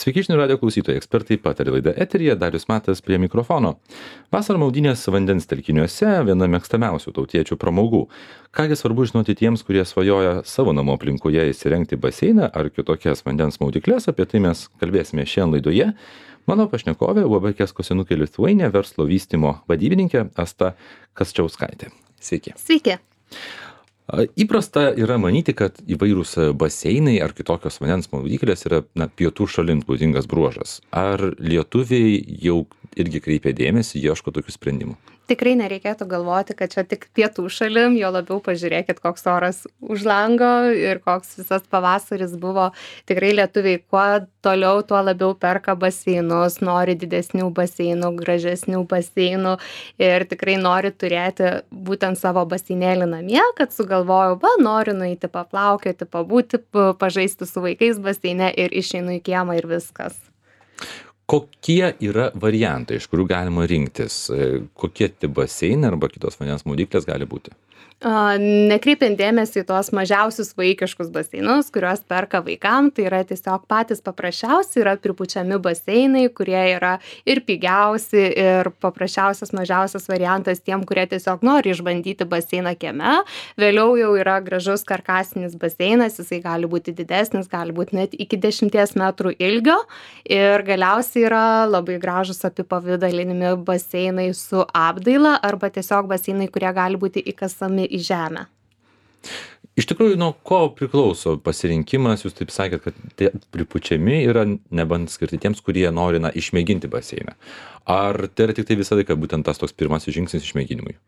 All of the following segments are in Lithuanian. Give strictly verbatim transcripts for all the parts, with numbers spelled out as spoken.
Sveiki žinių radijo klausytojai, ekspertai patarė laida eteryje, Darius Matas prie mikrofono. Vasarą maudynės vandens telkiniuose viena mėgstamiausių tautiečių pramogų. Kągi svarbu žinoti tiems, kurie svajoja savo namų aplinkoje įsirengti baseiną ar kitokias vandens maudyklės, apie tai mes kalbėsime šiandien laidoje. Mano pašnekovė U A B Kesko Senukė Lithuania verslo vystymo vadybininkė Asta Kasčiauskaitė. Sveiki. Sveiki. Įprasta yra manyti, kad įvairūs baseinai ar kitokios vandens maudyklės yra na, pietų šalims būdingas bruožas. Ar lietuviai jau irgi kreipia dėmesį, ieško tokių sprendimų? Tikrai nereikėtų galvoti, kad čia tik pietų šalim, jo labiau pažiūrėkit, koks oras už lango ir koks visas pavasaris buvo. Tikrai lietuviai kuo toliau, tuo labiau perka baseinus, nori didesnių baseinų, gražesnių baseinų ir tikrai nori turėti būtent savo baseinėlį namie, kad sugalvojau, va, noriu nueiti paplaukioti, pabūti, pažaisti su vaikais baseine ir išeinu į kiemą ir viskas. Kokie yra variantai, iš kurių galima rinktis? Kokie tie baseinai arba kitos vandens maudyklės gali būti? Nekreipiant dėmesį į tuos mažiausius vaikiškus baseinus, kuriuos perka vaikam, tai yra tiesiog patys paprasčiausi, yra pripučiami baseinai, kurie yra ir pigiausi, ir paprasčiausias mažiausias variantas tiem, kurie tiesiog nori išbandyti baseiną kieme. Vėliau jau yra gražus karkasinis baseinas, jisai gali būti didesnis, gali būti net iki dešimties metrų ilgio ir galiausiai yra labai gražus apipavidalinimi baseinai su apdaila arba tiesiog baseinai, kurie gali būti įkasami į žemę. Iš tikrųjų, nuo ko priklauso pasirinkimas? Jūs taip sakėt, kad tie pripučiami yra nebent skirti tiems, kurie nori na, išmėginti baseiną. Ar tai yra tik tai visą laiką būtent tas toks pirmasis žingsnis išmėginimui?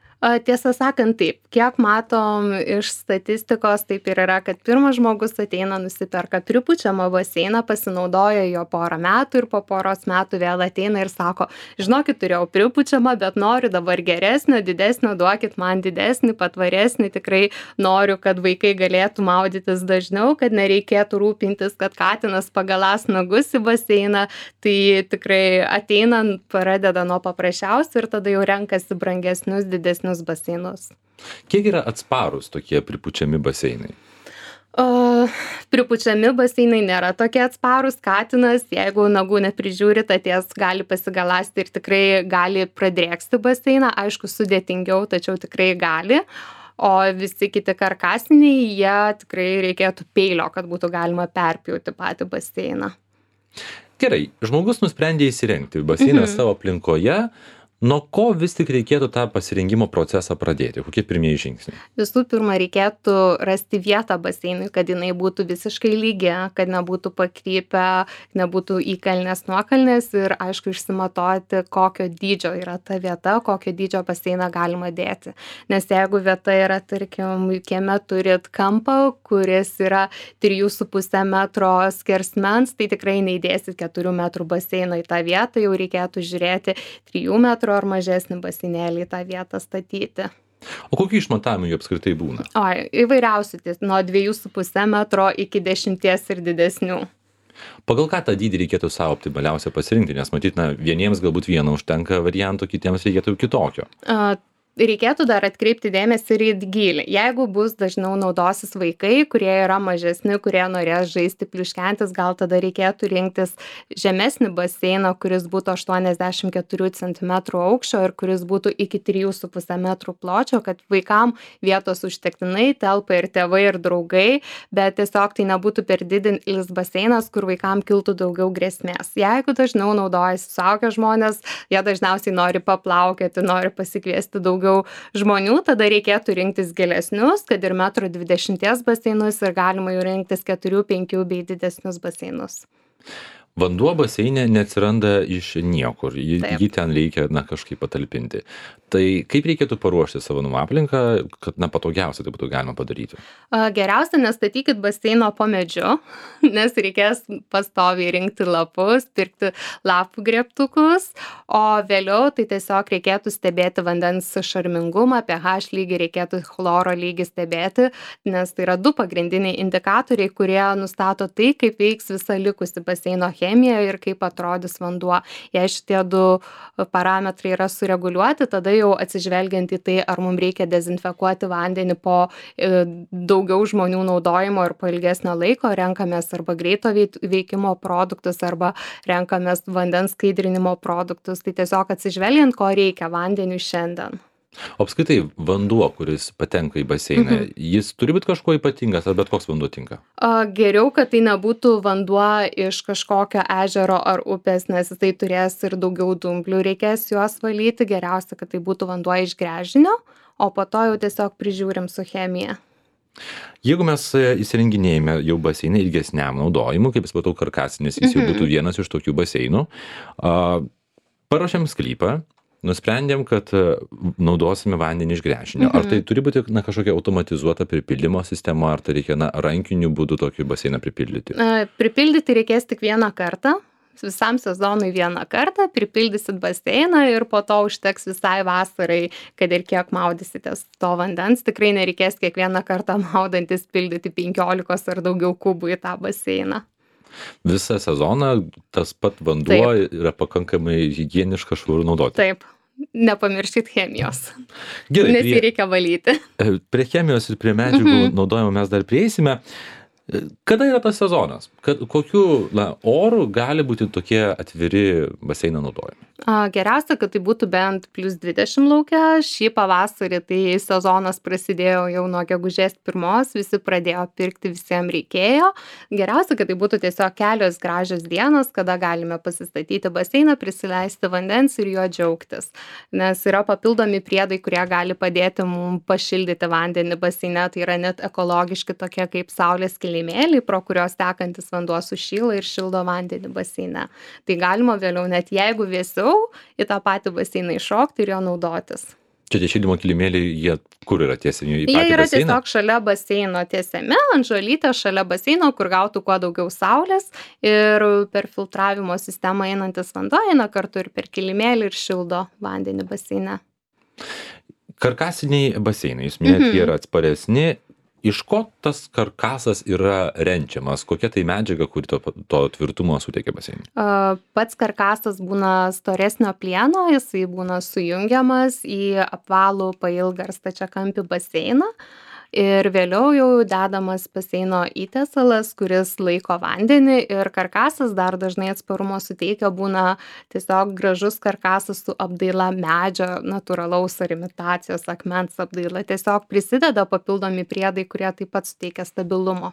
Tiesą sakant, taip. Kiek matom iš statistikos, taip ir yra, kad pirmas žmogus ateina, nusiperka pripučiamą baseiną, pasinaudoja jo porą metų ir po poros metų vėl ateina ir sako, žinokit, turėjau pripučiamą, bet noriu dabar geresnio, didesnio, duokit man didesnį, patvaresnį, tikrai noriu, kad vaikai galėtų maudytis dažniau, kad nereikėtų rūpintis, kad katinas pagalas nagus į baseiną, tai tikrai ateina, pradeda nuo paprasčiausių ir tada jau renkasi brangesnius, didesnius baseinus. Kiek yra atsparūs tokie pripučiami baseinai? O, pripučiami baseinai nėra tokie atsparūs. Katinas, jeigu nagų neprižiūri, atėjęs gali pasigaląsti ir tikrai gali pradrėksti baseiną. Aišku, sudėtingiau, tačiau tikrai gali. O visi kiti karkasiniai, jie tikrai reikėtų peilio, kad būtų galima perpjauti patį baseiną. Gerai, žmogus nusprendė įsirengti baseiną mhm. savo aplinkoje. Nuo ko vis tik reikėtų tą pasirengimo procesą pradėti? Kokie pirmieji žingsniai? Visų pirma, reikėtų rasti vietą baseinui, kad jinai būtų visiškai lygi, kad nebūtų pakrypę, nebūtų įkalnės nuokalnės ir, aišku, išsimatuoti, kokio dydžio yra ta vieta, kokio dydžio baseiną galima dėti. Nes jeigu vieta yra, tarkim, kieme turit kampą, kuris yra trijų su puse metro skersmens, tai tikrai neįdėsit keturių metrų baseino į tą vietą, jau reikėtų žiūrėti trijų metrų ar mažesnį baseinėlį į tą vietą statyti. O kokių išmatavimų jų apskritai būna? O, įvairiausių, nuo dviejų su puse metro iki dešimties ir didesnių. Pagal ką tą dydį reikėtų savo optimaliausia pasirinkti, nes matyt, na, vieniems galbūt vieno užtenka varianto, kitiems reikėtų kitokio. A, Reikėtų dar atkreipti dėmesį ir į gylį. Jeigu bus dažniau naudosis vaikai, kurie yra mažesni, kurie norės žaisti pliuškentis, gal tada reikėtų rinktis žemesnį baseiną, kuris būtų aštuoniasdešimt keturių centimetrų aukščio ir kuris būtų iki trijų su puse metrų pločio, kad vaikam vietos užtektinai telpa ir tėvai, ir draugai, bet tiesiog tai nebūtų per didelis baseinas, kur vaikam kiltų daugiau grėsmės. Jeigu dažniau naudojasi suaugę žmonės, jie dažniausiai nori paplaukioti, nori pasikviesti daugiau daugiau žmonių, tada reikėtų rinktis gilesnius, kad ir metro dvidešimties baseinus ir galima jau rinktis keturių, penkių bei didesnius baseinus. Vanduo baseine neatsiranda iš niekur, jį, jį ten reikia na, kažkaip patalpinti. Tai kaip reikėtų paruošti savo namų aplinką, kad na, patogiausia tai būtų galima padaryti? Geriausia, nestatykit baseino po medžiu, nes reikės pastoviai rinkti lapus, pirkti lapų grėbtukus, o vėliau tai tiesiog reikėtų stebėti vandens šarmingumą, pH lygį, reikėtų chloro lygį stebėti, nes tai yra du pagrindiniai indikatoriai, kurie nustato tai, kaip veiks visa likusi baseino chemija ir kaip atrodys vanduo. Jei šitie du parametrai yra sureguliuoti, tada jau atsižvelgiant į tai, ar mums reikia dezinfekuoti vandenį po e, daugiau žmonių naudojimo ir po ilgesnio laiko, renkamės arba greito veikimo produktus, arba renkamės vandens skaidrinimo produktus. Tai tiesiog atsižvelgiant, ko reikia vandeniui šiandien. O apskritai vanduo, kuris patenka į baseiną, mhm. jis turi būti kažkuo ypatingas, ar bet koks vanduo tinka? A, geriau, kad tai nebūtų vanduo iš kažkokio ežero ar upės, nes tai turės ir daugiau dumblių, reikės juos valyti. Geriausia, kad tai būtų vanduo iš gręžinio, o po to jau tiesiog prižiūrim su chemija. Jeigu mes įsirenginėjame jau baseiną ilgesniam naudojimui, kaip supratau, karkasinis, jis jau būtų vienas iš tokių baseinų, paruošėm sklypą, nusprendėm, kad naudosime vandenį iš gręžinio. Mhm. Ar tai turi būti na, kažkokia automatizuota pripildymo sistema, ar tai reikia na, rankiniu būdu tokį baseiną pripildyti? Pripildyti reikės tik vieną kartą. Visam sezonui vieną kartą pripildysit baseiną ir po to užteks visai vasarai, kad ir kiek maudysitės to vandens. Tikrai nereikės kiekvieną kartą maudantis pildyti penkiolikos ar daugiau kubų į tą baseiną. Visą sezoną tas pat vanduo Taip. Yra pakankamai higieniškas, švarų naudoti. Taip, nepamirškit chemijos, Gerai, nes jį prie, reikia valyti. Prie chemijos ir prie medžiagų mhm. naudojimo mes dar prieisime. Kada yra tas sezonas? Kad, kokiu na, oru gali būti tokie atviri baseino naudojami? A, geriausia, kad tai būtų bent plus dvidešimt lauke. Šį pavasarį tai sezonas prasidėjo jau nuo gegužės pirmos, visi pradėjo pirkti, visiems reikėjo. Geriausia, kad tai būtų tiesiog kelios gražios dienos, kada galime pasistatyti baseiną, prisileisti vandens ir juo džiaugtis. Nes yra papildomi priedai, kurie gali padėti mums pašildyti vandenį baseine. Tai yra net ekologiški tokie kaip saulės kilimėliai, pro kurios tekantis vanduo sušyla ir šildo vandenį baseine. Tai galima vėliau, net jeigu vėsiau, į tą patį baseiną iššokti ir jo naudotis. Čia tie šildymo kilimėliai, jie kur yra tiesiami į patį baseiną? Jie yra tiesiog šalia baseino tiesiami, ant žolytės šalia baseino, kur gautų kuo daugiau saulės ir per filtravimo sistemą einantis vanduo eina kartu ir per kilimėlį ir šildo vandenį baseine. Karkasiniai baseinai, jūs minėt, mhm. jie yra atsparesni. Iš ko tas karkasas yra renčiamas? Kokia tai medžiaga, kuri to, to tvirtumo suteikia baseinui? Pats karkasas būna storesnio plieno, jisai būna sujungiamas į apvalų pailgą ar stačiakampį baseiną. Ir vėliau jau dedamas baseino įtiesalas, kuris laiko vandenį ir karkasas dar dažnai atsparumo suteikia, būna tiesiog gražus karkasas su apdaila medžio, natūralaus ar imitacijos akmens apdaila. Tiesiog prisideda papildomi priedai, kurie taip pat suteikia stabilumo.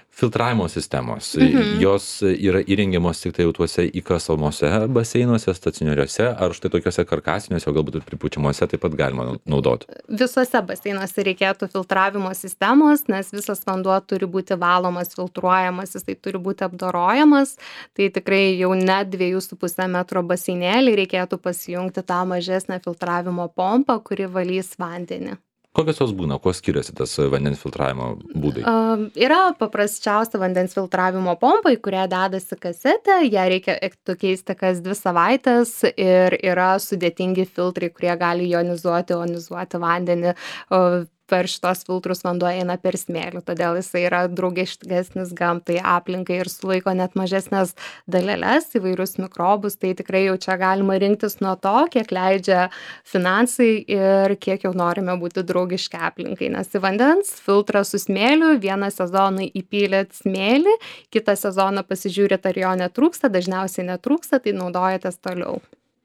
Filtravimo sistemos, mhm. jos yra įrengiamos tik tai jau tuose įkasamuose baseinuose, stacionariuose, ar štai tokiuose karkasiniuose, o galbūt ir pripučiamuose taip pat galima naudoti? Visose baseinuose reikėtų filtravimo sistemos, nes visas vanduo turi būti valomas, filtruojamas, jisai turi būti apdorojamas. Tai tikrai jau net dviejų su puse metro baseinėlį reikėtų pasijungti tą mažesnę filtravimo pompą, kuri valys vandenį. Kokios jos būna, kuo skiriasi tas vandens filtravimo būdai? Uh, yra paprasčiausia vandens filtravimo pompa, į kurią dedasi kasetė, ją reikia keisti kas dvi savaitės ir yra sudėtingi filtrai, kurie gali jonizuoti, ionizuoti vandenį. Uh, per šitos filtrus vanduo eina per smėlį, todėl jisai yra draugiškesnis gamtai, aplinkai ir sulaiko net mažesnės daleles, įvairius mikrobus. Tai tikrai jau čia galima rinktis nuo to, kiek leidžia finansai ir kiek jau norime būti draugiški aplinkai. Nes į vandens filtrą su smėliu vieną sezoną įpylėt smėlį, kitą sezoną pasižiūrėt, ar jo netrūksta, dažniausiai netrūksta, tai naudojatės toliau.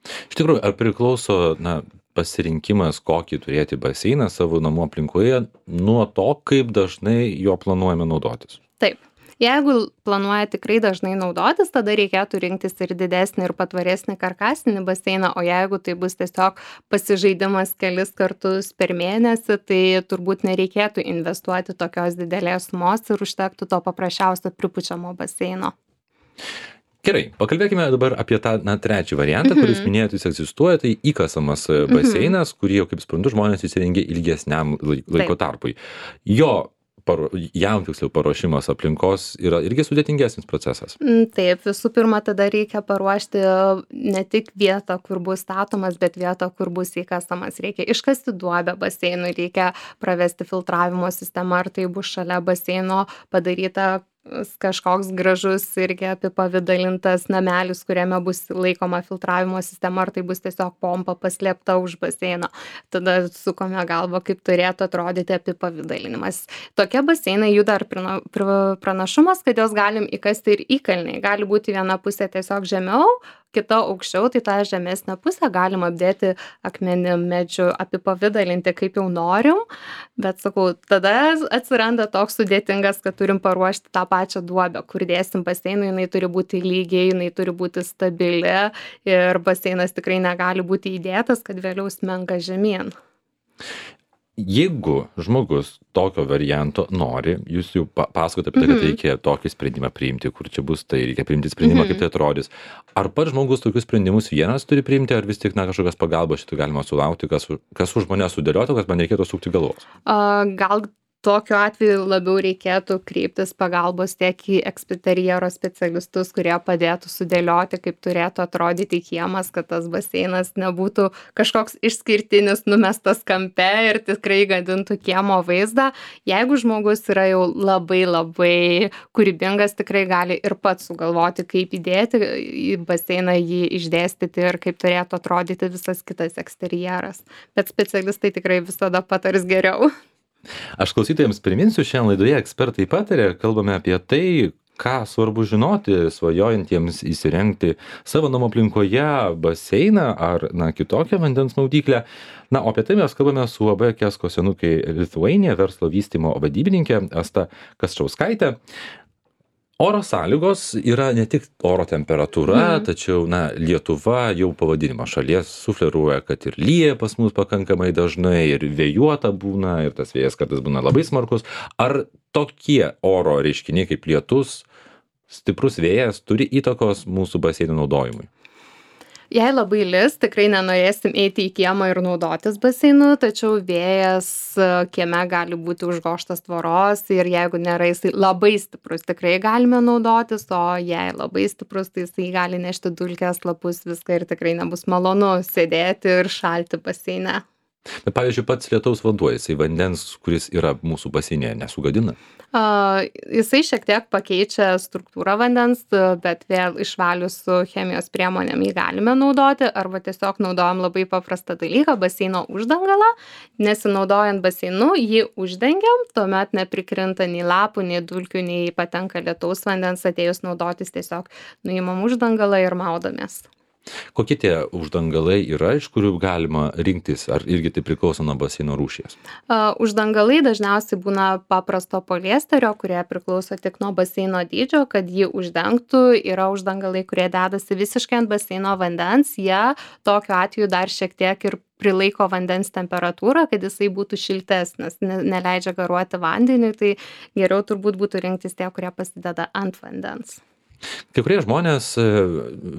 Iš tikrųjų, ar priklauso na, pasirinkimas, kokį turėti baseiną savo namų aplinkoje, nuo to, kaip dažnai jo planuojame naudotis? Taip. Jeigu planuoja tikrai dažnai naudotis, tada reikėtų rinktis ir didesnį ir patvaresnį karkasinį baseiną, o jeigu tai bus tiesiog pasižaidimas kelis kartus per mėnesį, tai turbūt nereikėtų investuoti tokios didelės sumos ir užtektų to paprasčiausio pripučiamo baseino. Gerai, pakalbėkime dabar apie tą na, trečią variantą, mm-hmm. kuris minėjot, jis egzistuoja, tai įkasamas baseinas, mm-hmm. kurį jau, kaip suprantu, žmonės įsirengia ilgesniam laiko tarpui. Jo, paro, jam tiksliau paruošimas aplinkos yra irgi sudėtingesnis procesas. Taip, visų pirma, tada reikia paruošti ne tik vietą, kur bus statomas, bet vietą, kur bus įkasamas. Reikia iškasti duobę baseinui, reikia pravesti filtravimo sistemą, ar tai bus šalia baseino padaryta kažkoks gražus irgi apipavidalintas namelis, kuriame bus laikoma filtravimo sistema, ar tai bus tiesiog pompa paslėpta už baseino. Tada sukome galvą, kaip turėtų atrodyti apipavidalinimas. Tokie baseinai jų dar prina- pr- pranašumas, kad jos galim įkasti ir įkalniai. Gali būti viena pusė tiesiog žemiau, kita aukščiau, tai tą žemesnę pusę galim apdėti akmenim, medžiu, apipavidalinti kaip jau norim, bet sakau, tada atsiranda toks sudėtingas, kad turim paruošti tą pačią duobę, kur dėsim baseinui, jinai turi būti lygiai, jinai turi būti stabili ir baseinas tikrai negali būti įdėtas, kad vėliau smenga žemyn. Jeigu žmogus tokio varianto nori, jūs jau pa- pasakote apie tai, kad reikia tokį sprendimą priimti, kur čia bus tai, reikia priimti sprendimą, kaip tai atrodys. Ar pats žmogus tokius sprendimus vienas turi priimti, ar vis tik na, kažkokios pagalbos šitą galima sulaukti, kas, u- kas už mane sudėliotų, kad man reikėtų sukti galvos? A, Gal tokiu atveju labiau reikėtų kreiptis pagalbos tiek į ekspiterjero specialistus, kurie padėtų sudėlioti, kaip turėtų atrodyti kiemas, kad tas baseinas nebūtų kažkoks išskirtinis, numestas kampe ir tikrai gadintų kiemo vaizdą. Jeigu žmogus yra jau labai labai kūrybingas, tikrai gali ir pats sugalvoti, kaip įdėti į baseiną, jį išdėstyti ir kaip turėtų atrodyti visas kitas eksterjeras. Bet specialistai tikrai visada patars geriau. Aš klausytojams priminsiu, šiandien laidoje ekspertai patarė, kalbame apie tai, ką svarbu žinoti svajojantiems įsirengti savo namų aplinkoje baseiną ar na, kitokią vandens maudyklę. Na, o apie tai mes kalbame su U A B Kesko senukai Lithuania verslo vystymo vadybininkė Asta Kasčauskaitė. Oro sąlygos yra ne tik oro temperatūra, mm. tačiau na, Lietuva jau pavadinimą šalies sufleruoja, kad ir lyja pas mus pakankamai dažnai, ir vėjuota būna, ir tas vėjas kartais būna labai smarkus. Ar tokie oro reiškiniai kaip lietus, stiprus vėjas turi įtakos mūsų baseino naudojimui? Jei labai lis, tikrai nenorėsim eiti į kiemą ir naudotis baseinu, tačiau vėjas e, kieme gali būti užgoštas tvoros ir jeigu nėra jisai labai stiprus, tikrai galime naudotis, o jei labai stiprus, tai jisai gali nešti dulkes, lapus, viską ir tikrai nebus malonu sėdėti ir šalti baseine. Bet pavyzdžiui, pats lietaus vanduo, jisai vandens, kuris yra mūsų baseine, nesugadina? Uh, jisai šiek tiek pakeičia struktūrą vandens, bet vėl išvalius su chemijos priemonėm jį galime naudoti, arba tiesiog naudojam labai paprastą dalyką, baseino uždangalą, nesinaudojant baseinu, jį uždengiam, tuomet neprikrinta nei lapų, nei dulkių, nei patenka lietaus vandens, atėjus naudotis tiesiog nuimam uždangalą ir maudomės. Kokie tie uždangalai yra, iš kurių galima rinktis, ar irgi tai priklauso nuo baseino rūšies? Uh, uždangalai dažniausiai būna paprasto poliesterio, kurie priklauso tik nuo baseino dydžio, kad jį uždengtų. Yra uždangalai, kurie dedasi visiškai ant baseino vandens, jie tokiu atveju dar šiek tiek ir prilaiko vandens temperatūrą, kad jisai būtų šiltesnis, ne, neleidžia garuoti vandeniui, tai geriau turbūt būtų rinktis tie, kurie pasideda ant vandens. Kai kurie žmonės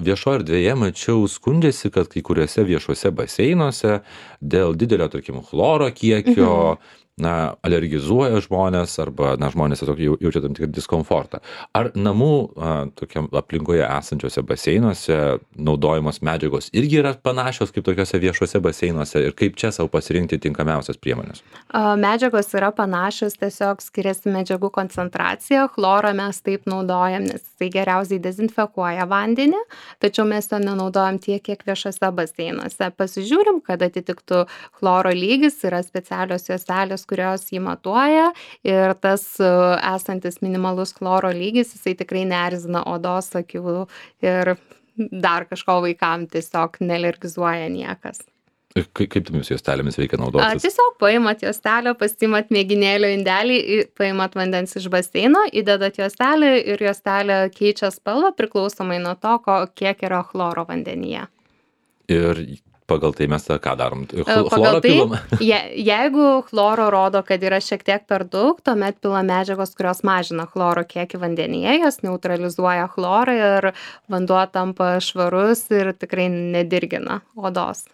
viešo erdvėje, mačiau, skundžiasi, kad kai kuriuose viešuose baseinuose dėl didelio, tarkim, chloro kiekio, mhm. na, alergizuoja žmonės arba, na, žmonės tiesiog jau jaučia tam tikrą diskomfortą. Ar namų a, tokiam aplinkoje esančiose baseinuose naudojamos medžiagos irgi yra panašios kaip tokiuose viešuose baseinuose ir kaip čia savo pasirinkti tinkamiausias priemonės? A, medžiagos yra panašios, tiesiog skiriasi medžiagų koncentracija. Chlorą mes taip naudojam, nes tai geriausiai dezinfekuoja vandenį, tačiau mes to nenaudojam tiek, kiek viešuose baseinuose. Pasižiūrim, kad atitiktų chloro lygis, yra specialios juostelės, kurios jį matuoja ir tas esantis minimalus chloro lygis, jisai tikrai neerzina odos, akių ir dar kažko vaikam tiesiog nealergizuoja niekas. Kaip, kaip tomis juostelėmis reikia naudotis? Tiesiog paimat juostelę, pasiimat mėginėlio indelį, paimat vandens iš baseino, įdedat juostelę ir juostelė keičia spalvą priklausomai nuo to, ko, kiek yra chloro vandenyje. Ir pagal tai mes ką darom? Pagal Chlorą tai, pilam? je, jeigu chloro rodo, kad yra šiek tiek per daug, tuomet pila medžiagos, kurios mažina chloro kiekį vandenyje, jos neutralizuoja chlorą ir vanduo tampa švarus ir tikrai nedirgina odos.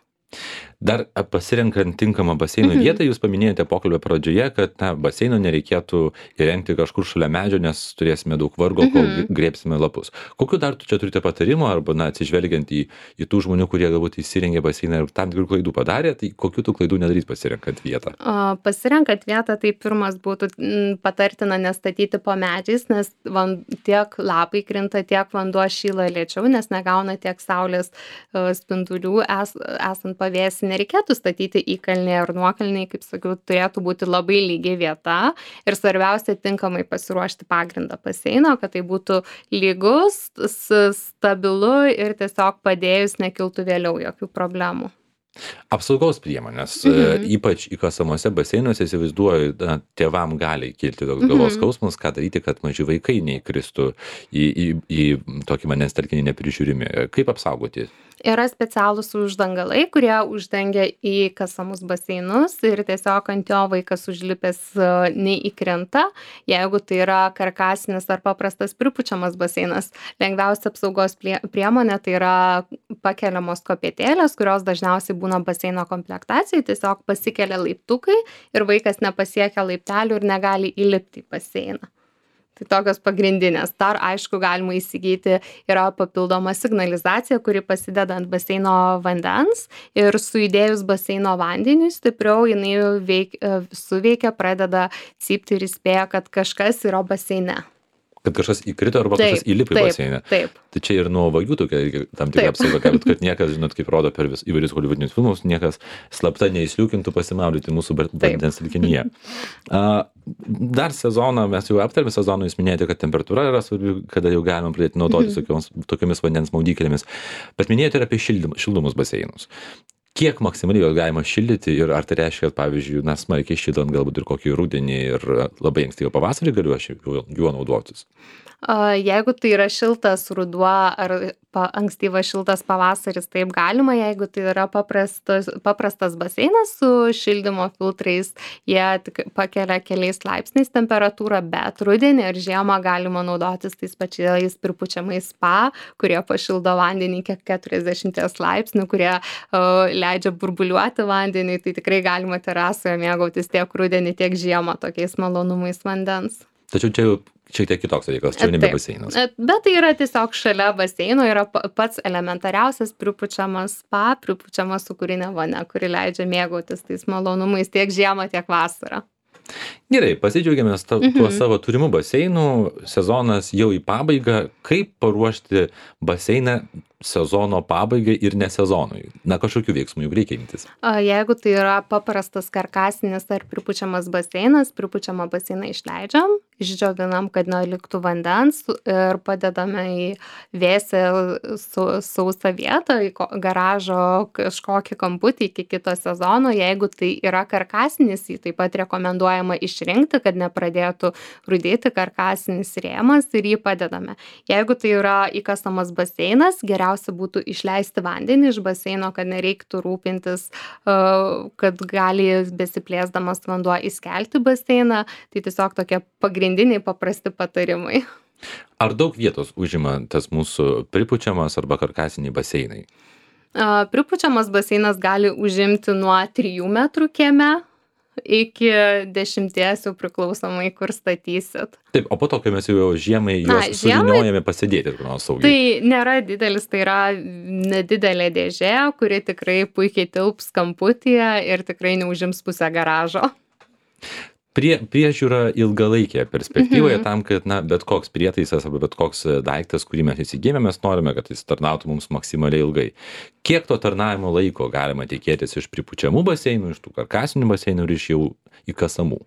Dar a, pasirenkant tinkamą baseino Mhm. vietą, jūs paminėjote pokalbio pradžioje, kad na, baseino nereikėtų įrengti kažkur šalia medžio, nes turėsime daug vargo, kol Mhm. grėbsime lapus. Kokiu dar tu čia turite patarimų, arba na, atsižvelgiant į, į tų žmonių, kurie galbūt įsirengė baseiną ir tam tikrų klaidų padarė, tai kokiu tų klaidų nedaryti pasirenkant vietą? O pasirenkant vietą, tai pirmas būtų mm, patartina nestatyti po medžiais, nes van, tiek lapai krinta, tiek vanduo šyla lėčiau, nes negauna tiek saulės e, spindulių es, esant pavėsį. Nereikėtų statyti įkalnėje ar nuokalnėje, kaip sakiau, turėtų būti labai lygi vieta ir svarbiausia tinkamai pasiruošti pagrindą baseino, kad tai būtų lygus, s- stabilu ir tiesiog padėjus nekiltų vėliau jokių problemų. Apsaugos priemonės, Mhm. e, ypač įkasamuose baseinuose, įsivaizduoju, na, tėvam gali kilti toks galvos Mhm. skausmas, ką daryti, kad maži vaikai neįkristų į, į, į tokį vandens telkinį neprižiūrimi. Kaip apsaugoti? Yra specialūs uždangalai, kurie uždengia įkasamus baseinus ir tiesiog ant jo vaikas užlipęs e, neįkrenta. Jeigu tai yra karkasinis ar paprastas pripučiamas baseinas, lengviausia apsaugos plie- priemonė tai yra pakeliamos kopėtėlės, kurios dažniausiai būna baseino komplektacijai, tiesiog pasikelia laiptukai ir vaikas nepasiekia laiptelių ir negali įlipti į baseiną. Tai tokios pagrindinės. Dar aišku galima įsigyti, yra papildoma signalizacija, kuri pasideda ant baseino vandens ir sujudėjus baseino vandeniui stipriau jinai veik, e, suveikia, pradeda cypti ir įspėja, kad kažkas yra baseine. Kad kažkas įkrito arba Taip, kažkas įlipo į taip, baseiną. taip. Tai čia ir nuo vagių tokia irgi tam tikra Taip. apsauga, kad, kad niekas, žinot, kaip rodo per vis, įvairius holivudinius filmus, niekas slapta neįsliūkintų pasimaudyti mūsų bar- Taip. vandens telkinyje. A, dar sezoną, mes jau aptarėme sezoną, jūs minėjote, kad temperatūra yra svarbi, kada jau galima pradėti naudotis tokiomis, tokiomis vandens maudyklėmis. Bet minėjote ir apie šildym, šildomus baseinus. Kiek maksimaliai juos galima šildyti ir ar tai reiškia, kad, pavyzdžiui, na, smarkiai šildant galbūt ir kokį rudenį ir labai ankstyvą pavasarį galiu aš juo, juo naudotis? A, Jeigu tai yra šiltas ruduo ar pa, ankstyvas šiltas pavasaris, taip galima, jeigu tai yra paprastas, paprastas baseinas su šildymo filtrais, jie tik pakelia keliais laipsniais temperatūrą, bet rudenį ir žiemą galima naudotis tais pačiais pripučiamais spa, kurie pašildo vandenį iki keturiasdešimties laipsnių, kurie uh, leidžia burbuliuoti vandenį, tai tikrai galima terasoje mėgautis tiek rudenį, tiek žiemą tokiais malonumais vandens. Tačiau čia jau šiek tiek kitoks dalykas, čia jau nebe Taip. baseinas. E, Bet tai yra tiesiog šalia baseino, yra pa- pats elementariausias pripučiamas spa, pripučiama sūkurinė vonia, kuri leidžia mėgautis tais malonumais tiek žiemą, tiek vasarą. Gerai, pasidžiaugiamės ta- tuo savo turimų baseinų, sezonas jau į pabaigą. Kaip paruošti baseiną sezono pabaigai ir ne sezonui? Na, kažkokių veiksmų juk reikia imtis. A, Jeigu tai yra paprastas karkasinis ar pripučiamas baseinas, pripučiamą baseiną išleidžiam, išdžiovinam, kad neliktų vandens ir padedame į vėsią su- sausą vietą, į ko- garažo kažkokį kamputį iki kito sezono. Jeigu tai yra karkasinis, jį taip pat rekomenduojama išrinkti, kad nepradėtų rudėti karkasinis rėmas ir jį padedame. Jeigu tai yra įkasamas baseinas, geriausia būtų išleisti vandenį iš baseino, kad nereiktų rūpintis, e, kad gali besiplėsdamas vanduo įskelti baseiną. Tai tiesiog tokie pagrindiniai paprasti patarimai. Ar daug vietos užima tas mūsų pripučiamas arba karkasiniai baseinai? E, Pripučiamas baseinas gali užimti nuo trijų metrų kieme iki dešimties, jau priklausomai, kur statysit. Taip, o po to, kai mes jau žiemai Na, juos žiemai- suvyniojame pasidėti, kur nors saugiai. Tai nėra didelis, tai yra nedidelė dėžė, kuri tikrai puikiai tilps kamputyje ir tikrai neužims pusę garažo. Prie, priežiūra ilgalaikėje perspektyvoje tam, kad na, bet koks prietaisas arba bet koks e, daiktas, kurį mes įsigijame, mes norime, kad jis tarnautų mums maksimaliai ilgai. Kiek to tarnavimo laiko galima tikėtis iš pripučiamų baseinų, iš tų karkasinių baseinų ir iš jau įkasamų?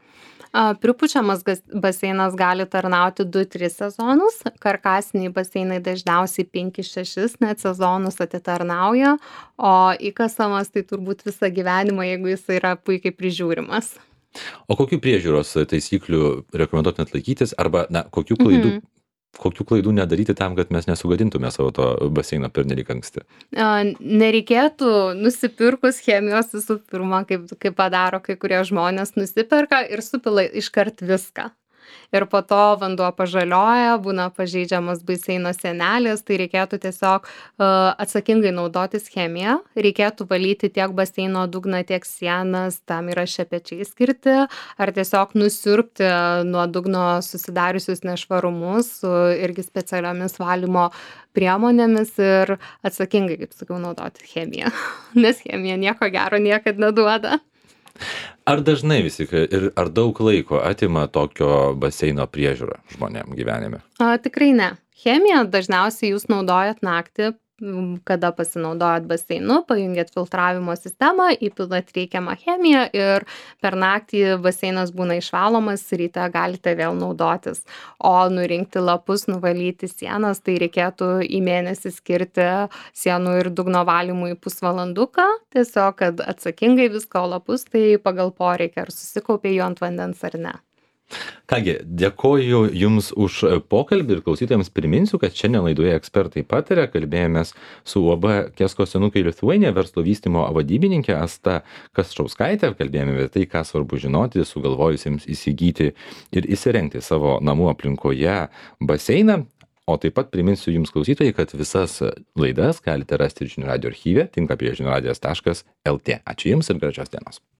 A, Pripučiamas gas- baseinas gali tarnauti du tris sezonus, karkasiniai baseinai dažniausiai penki šešis net sezonus atitarnauja, o įkasamas tai turbūt visą gyvenimą, jeigu jis yra puikiai prižiūrimas. O kokių priežiūros taisyklių rekomenduotumėt laikytis arba na, kokių klaidų, Mhm. kokių klaidų nedaryti tam, kad mes nesugadintume savo to baseino pernelyg anksti? A, Nereikėtų nusipirkus chemijos visų pirma, kaip, kaip padaro kai kurie žmonės, nusiperka ir supila iškart viską. ir po to vanduo pažaliuoja, būna pažeidžiamas baseino sienelės, tai reikėtų tiesiog uh, atsakingai naudotis chemiją, reikėtų valyti tiek baseino dugną, tiek sienas, tam yra šepečiai skirti, ar tiesiog nusiurbti nuo dugno susidariusius nešvarumus su irgi specialiomis valymo priemonėmis ir atsakingai, kaip sakiau, naudoti chemiją, nes chemija nieko gero niekad neduoda. Ar dažnai vis tik ir ar daug laiko atima tokio baseino priežiūra žmonėm gyvenime? A, tikrai ne. Chemiją dažniausiai jūs naudojat naktį, m, kada pasinaudojat baseinu, pajungiat filtravimo sistemą, įpilat reikiamą chemiją ir per naktį baseinas būna išvalomas, ryte galite vėl naudotis. O nurinkti lapus, nuvalyti sienas, tai reikėtų į mėnesį skirti sienų ir dugno valymui pusvalanduką, tiesiog, kad atsakingai visko lapus, tai pagal poreikį ar susikaupė jų ant vandens ar ne. Kągi, dėkoju Jums už pokalbį ir klausytojams priminsiu, kad šiandien laidoje ekspertai pataria, kalbėjomės su U A B Kesko senukai Lithuania verslo vystymo vadybininkė Asta Kasčauskaitė, kalbėjome apie tai, ką svarbu žinoti, sugalvojusiems įsigyti ir įsirengti savo namų aplinkoje baseiną. O taip pat priminsiu Jums klausytojai, kad visas laidas galite rasti žinių radijo archyve, tinklapyje žinių radijas taškas el tė. Ačiū Jums ir gražios dienos.